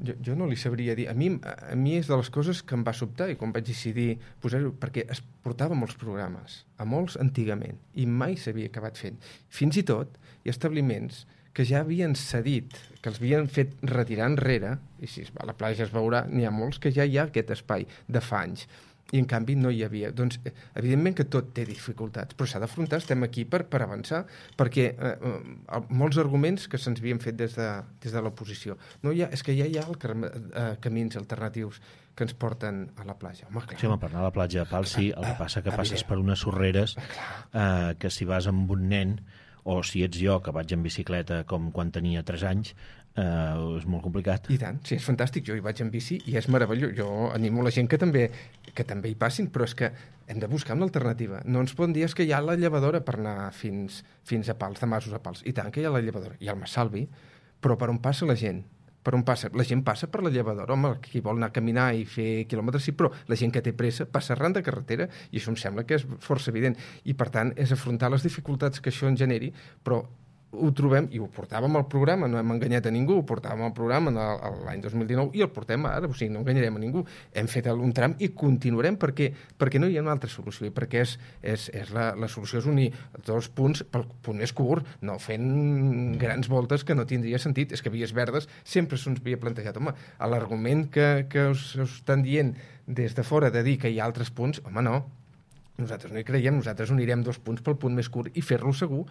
Jo no li sabria dir. A mi és de les coses que em va sobtar i quan vaig decidir posar-ho, perquè es portava molts programes, a molts antigament, i mai s'havia acabat fent. Fins i tot hi ha establiments que ja havien cedit, que els havien fet retirar enrere, i si a la platja es veurà, n'hi ha molts que ja hi ha aquest espai de fa anys, i en canvi no hi havia. Doncs evidentment que tot té dificultats, però s'ha d'afrontar, estem aquí per avançar, perquè molts arguments que se'ns havien fet des de l'oposició. No, és que ja hi ha camins alternatius que ens porten a la platja. Home, clar. Sí, per anar a la platja de Pals, sí, el que passa que passes per unes sorreres que si vas amb un nen, o si ets jo, que vaig en bicicleta com quan tenia 3 anys, és molt complicat. I tant, sí, és fantàstic. Jo hi vaig en bici i és meravellós. Jo animo la gent que també hi passin, però és que hem de buscar una alternativa. No ens poden dir que hi ha la llevadora per anar fins a Pals, de Masos a Pals. I tant que hi ha la llevadora. Hi ha el Massalvi, però per on passa la gent? Per on passa? La gent passa per la llevadora. Home, qui vol anar a caminar i fer quilòmetres, sí, però la gent que té pressa passa arran de carretera i això em sembla que és força evident. I, per tant, és afrontar les dificultats que això en generi, però ho trobem, i ho portàvem al programa, no hem enganyat a ningú, ho portàvem al programa l'any 2019 i el portem ara, o sigui, no enganyarem a ningú. Hem fet un tram i continuarem perquè no hi ha una altra solució i perquè la solució és unir 2 punts pel punt més curt, no fent grans voltes que no tindria sentit. És que vies verdes sempre se'ns havia plantejat. Home, l'argument que us estan dient des de fora de dir que hi ha altres punts, home, no. Nosaltres no hi creiem, nosaltres unirem 2 punts pel punt més curt i fer-lo segur